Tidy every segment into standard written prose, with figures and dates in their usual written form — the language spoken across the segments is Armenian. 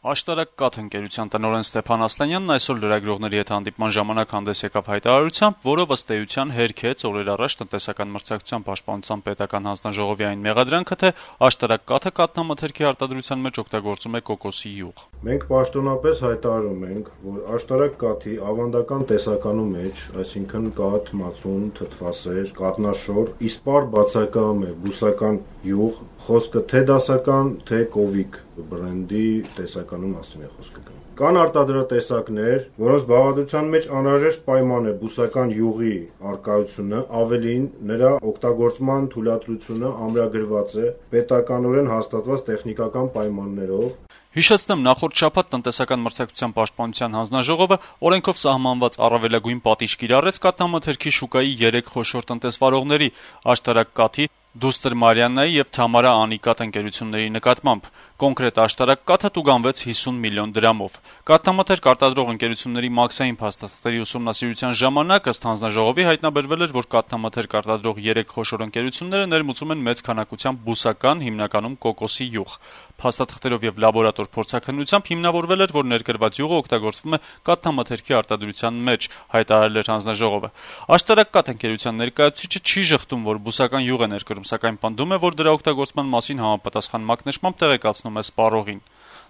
Աշտարակ կաթ ընկերության տնօրեն Ստեփան Ասլանյանն այսօր լրագրողների հետ հանդիպման ժամանակ հանդես եկավ հայտարարությամբ, որով ըստ էության հերքեց օրեր առաջ տնտեսական մրցակցության պաշտպանության պետական հանձնաժողովի այն մեղադրանքը, թե աշտարակ կաթը կաթնամթերքի արտադրության մեջ օգտագործում է կոկոսի յուղ։ Մենք պաշտոնապես հայտարարում ենք, որ աշտարակ կաթի ավանդական տեսականու մեջ, այսինքն կաթ, մածուն, թթվասեր, կատնաշոր, իսպառ բացակայում է բուսական յուղ, խոսքը թե դասական, թե կովիկ բրենդի տեսականու մասին է խոսքը գնում։ Կան արտադրատեսակներ, որոնց բաղադրության մեջ անհրաժեշտ պայման է բուսական յուղի առկայությունը, ավելին նրա օգտագործման թույլատրությունը ամրագրված է պետականորեն հաստատված տեխնիկական պայմաններով։ Հիշեցնեմ, նախորդ շաբաթ տնտեսական մրցակցության պաշտպանության հանձնաժողովը օրենքով սահմանված առավելագույն պատիժ կիրառեց կաթնամթերքի շուկայի 3 խոշոր տնտեսվարողների՝ Աշտարակ կաթի, Դուստր Մարիաննայի եւ Թամարա Անիկատ ընկերությունների նկատմամբ։ Կոնկրետ աշտարակ կաթը տուգանվեց 50 միլիոն դրամով։ Կաթնամթերք արտադրող ընկերությունների մաքսային փաստաթղթերի ուսումնասիրության ժամանակ ըստ հանձնաժողովի հայտնաբերվել էր, որ կաթնամթերք արտադրող 3 խոշոր ընկերությունները ներմուծում են մեծ քանակությամբ բուսական, հիմնականում կոկոսի յուղ։ Փաստաթղթերով եւ լաբորատոր փորձաքննությամբ հիմնավորվել էր, որ ներկրված յուղը օգտագործվում է կաթնամթերքի արտադրության մեջ, հայտարարել էր հանձնաժողովը։ Աշտարակ կաթ ընկերության ներկայացուցիչը չի ժխտում, որ բուսական յուղ է ներկրում, սակայն պնդում է, որ դրա օգտագործման մասին համապատասխան մակնշմամբ տեղեկացնում է սպառողին։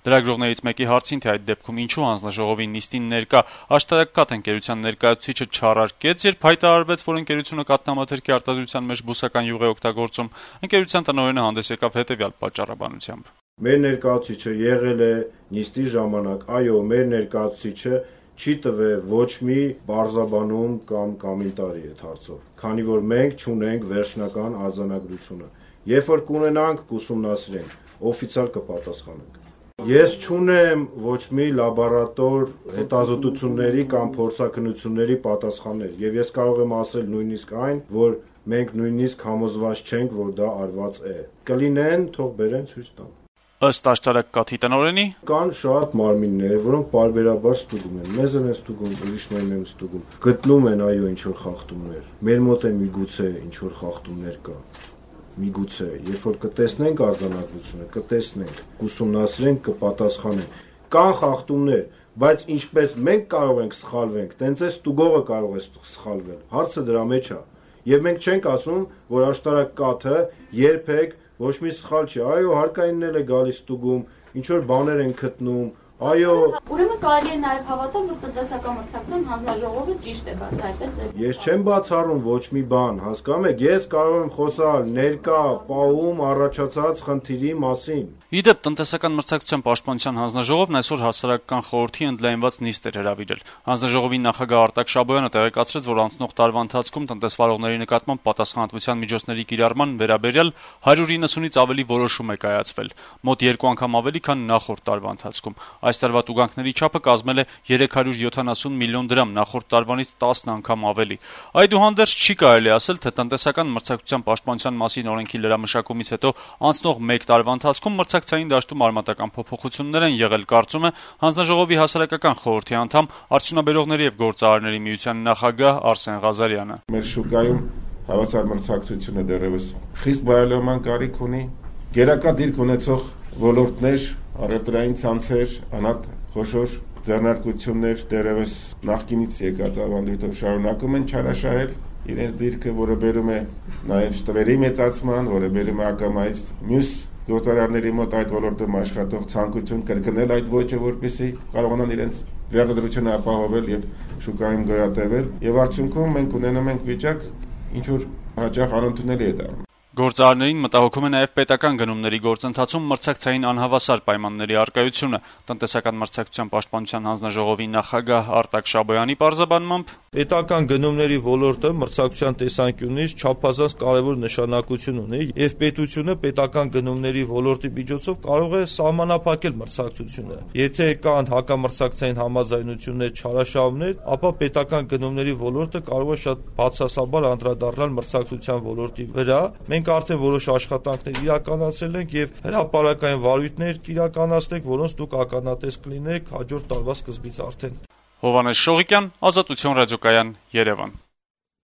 Լրագրողներից մեկի հարցին, թե այդ դեպքում ինչու հանձնաժողովի նիստին ներկա Աշտարակ կաթ ընկերության ներկայացուցիչը չառարկեց, երբ հայտարարվեց, որ ընկերությունը կաթնամթերքի արտադրության մեջ բուսական յուղ է օգտագործում, ընկերության տնօրենը հանդես եկավ հետեւյալ պատճառաբանությամբ. Մեր ներկայացուցիչը եղել է նիստի ժամանակ, այո, մեր ներկայացուցիչը չի տվել ոչ մի բարձաբանում կամ կոմենտարի այդ հարցով, քանի որ մենք չունենք վերջնական արձանագրությունը։ Երբ որ կունենանք, կուսումնասիրենք, օֆիցիալ կպատասխանենք։ Ես չունեմ ոչ մի լաբորատոր հետազոտությունների կամ փորձաքննությունների պատասխաններ, եւ ես կարող եմ ասել նույնիսկ այն, որ մենք նույնիսկ համոզված չենք, որ դա արված է։ Կլինեն, թող բերեն ցույց տան։ Ըստ Աշտարակ կաթի տնօրենի, կան շատ մարմիններ, որոնք պարբերաբար ստուգում են, մեզ են ստուգում, ուրիշներին են ստուգում, գտնում են այո ինչ որ խախտումներ։ Մեր մոտ է միգուցե ինչ որ խախտումներ կա։ Միգուցե, երբ որ կտեսնենք արձանագրությունը, կտեսնենք, կուսումնասիրենք, կպատասխանենք։ Կան խախտումներ, բայց ինչպես մենք կարող ենք սխալվենք, տենց է ստուգողը կարող է սխալվել։ Հարցը դրա մեջ է։ Եվ մենք չենք ասում, որ Աշտարակ կաթը երբեք ոչ մի սխալ չի, այո, հարկայինն էլ է գալիս ստուգում, ինչ որ բաներ են գտնում, այո։ Ուրեմն կարելի է նաև հավատալ, որ տնտեսական մրցակցության հանձնաժողովը ճիշտ է բացահայտել։ Ես չեմ բացառում ոչ մի բան, հասկանում եք, ես կարող եմ խոսալ ներկա պահում առաջացած խնդիրի մասին։ Իդեպ տնտեսական մրցակցության պաշտպանության հանձնաժողովն այսօր հասարակական խորհրդի ընդլայնված նիստ էր հրավիրել։ Հանձնաժողովի նախագահ Արտակ Շաբոյանը տեղեկացրեց, որ անցնող տարվա ընթացքում տնտեսվարողների նկատմամբ պատասխանատվության միջոցների կիրառման վերաբերյալ 190-ից ավելի որոշում է կայացվել, մոտ 2 անգամ ավելի, քան նախորդ տարվա ընթացքում։ Այս տարվա տուգանքների չափը կազմել է 370 միլիոն դրամ, նախորդ տարվանից 10 անգամ ավելի։ Այդուհանդերձ չի կարելի ասել, թե տնտեսական մրցակցության պաշտպանության մասին օրենքի լրամշակումից հետո անցնող 1 տարվա ընթացքում մրցակցային դաշտում արմատական փոփոխություններ են եղել, կարծում է հանձնաժողովի հասարակական խորհրդի անդամ Արդյունաբերողների եւ գործարարների միության նախագահ Արսեն Ղազարյանը։ Մեր շուկայում հավասար մրցակցությունը դեռևս խիստ բարելավման կարիք ունի, գերակա դիրք ունեցող ոլորտներ, առևտրային ցանցեր, անհատ խոշոր ձեռնարկություններ դեռևս նախկինից եկած ավանդույթով շարունակում են չարաշահել իրենց դիրքը, որը բերում է նաև տվերի մեծացման, որը բերում է ակամայից մյուս գործարարների մոտ այդ ոլորտում աշխատող ցանկություն կրկնել այդ ոճը, որպեսզի կարողանան իրենց վերարտադրությունը ապահովել եւ շուկայում գոյատևել, եւ արդյունքում մենք ունենում ենք վիճակ, ինչ որ հաճախ անընդունելի է դառնում։ Գործարարներին մտահոգում է նաև պետական գնումների գործընթացում մրցակցային անհավասար պայմանների առկայությունը։ Տնտեսական մրցակցության պաշտպանության հանձնաժողովի նախագահ Արտակ Շաբոյանի պարզաբանմամբ, պետական գնումների ոլորտը մրցակցության տեսանկյունից չափազանց կարևոր նշանակություն ունի եւ պետությունը պետական գնումների ոլորտի միջոցով կարող է սահմանափակել մրցակցությունը։ Եթե կան հակամրցակցային համաձայնություններ, չարաշահումներ, ապա պետական գնումների ոլորտը կարող է շատ բացասաբար անդրադառնալ մրցակցության ոլորտի վրա։ Մենք արդեն որոշ աշխատանքներ իրականացրել ենք եւ հրապարակային վարույթներ կիրականացնենք, որոնց դուք ականատես կլինեք հաջորդ տարվա սկզբից արդեն։ Հովհաննես Շողիկյան, Ազատություն ռադիոկայան, Երևան։